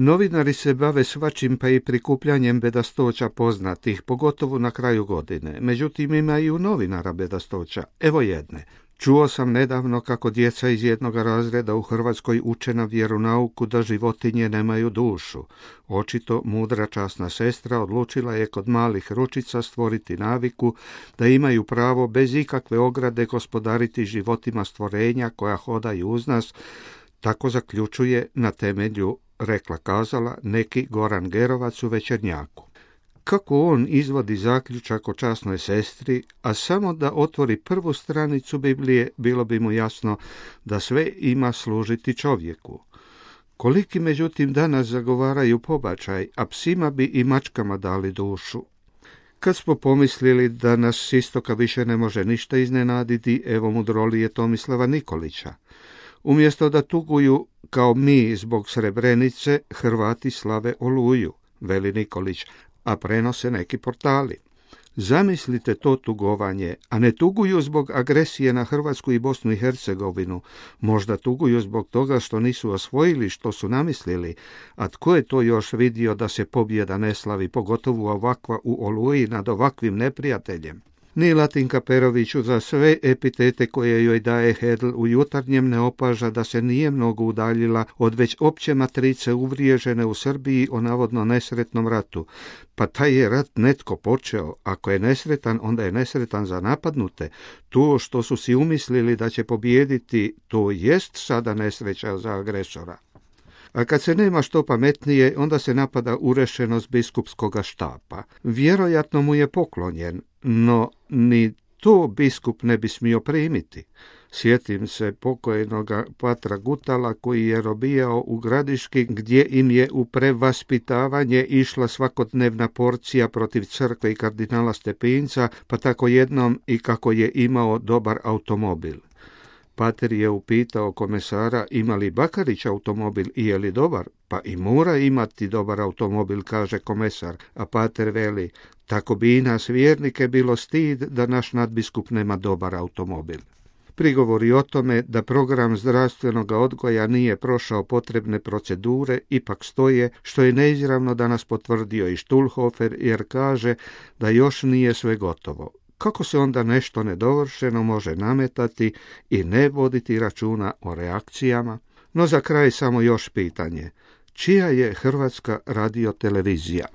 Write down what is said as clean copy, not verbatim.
Novinari se bave svačim pa i prikupljanjem bedastoća poznatih, pogotovo na kraju godine. Međutim, ima i u novinara bedastoća. Evo jedne. Čuo sam nedavno kako djeca iz jednog razreda u Hrvatskoj uče na vjeronauku da životinje nemaju dušu. Očito mudra časna sestra odlučila je kod malih ručica stvoriti naviku da imaju pravo bez ikakve ograde gospodariti životima stvorenja koja hodaju uz nas, tako zaključuje na temelju rekla kazala neki Goran Gerovac u Večernjaku. Kako on izvodi zaključak o časnoj sestri, a samo da otvori prvu stranicu Biblije, bilo bi mu jasno da sve ima služiti čovjeku. Koliki međutim danas zagovaraju pobačaj, a psima bi i mačkama dali dušu. Kad smo pomislili da nas s istoka više ne može ništa iznenaditi, evo mudrolije Tomislava Nikolića. Umjesto da tuguju kao mi zbog Srebrenice, Hrvati slave Oluju, veli Nikolić, a prenose neki portali. Zamislite to tugovanje, a ne tuguju zbog agresije na Hrvatsku i Bosnu i Hercegovinu. Možda tuguju zbog toga što nisu osvojili što su namislili, a tko je to još vidio da se pobjeda ne slavi, pogotovo ovakva u Oluji nad ovakvim neprijateljem. Ni Latinka Peroviću za sve epitete koje joj daje Hedl u Jutarnjem ne opaža da se nije mnogo udaljila od već opće matrice uvriježene u Srbiji o navodno nesretnom ratu. Pa taj je rat netko počeo, ako je nesretan, onda je nesretan za napadnute. To što su si umislili da će pobijediti, to jest sada nesreća za agresora. A kad se nema što pametnije, onda se napada urešenost biskupskoga štapa. Vjerojatno mu je poklonjen, no ni to biskup ne bi smio primiti. Sjetim se pokojnoga patra Gutala koji je robijao u Gradiški, gdje im je u prevaspitavanje išla svakodnevna porcija protiv crkve i kardinala Stepinca, pa tako jednom i kako je imao dobar automobil. Pater je upitao komesara ima li Bakarić automobil i je li dobar, pa i mora imati dobar automobil, kaže komesar, a pater veli, tako bi i nas vjernike bilo stid da naš nadbiskup nema dobar automobil. Prigovori o tome da program zdravstvenog odgoja nije prošao potrebne procedure ipak stoje, što je neizravno danas potvrdio i Štulhofer, jer kaže da još nije sve gotovo. Kako se onda nešto nedovršeno može nametati i ne voditi računa o reakcijama? No za kraj samo još pitanje. Čija je Hrvatska radiotelevizija?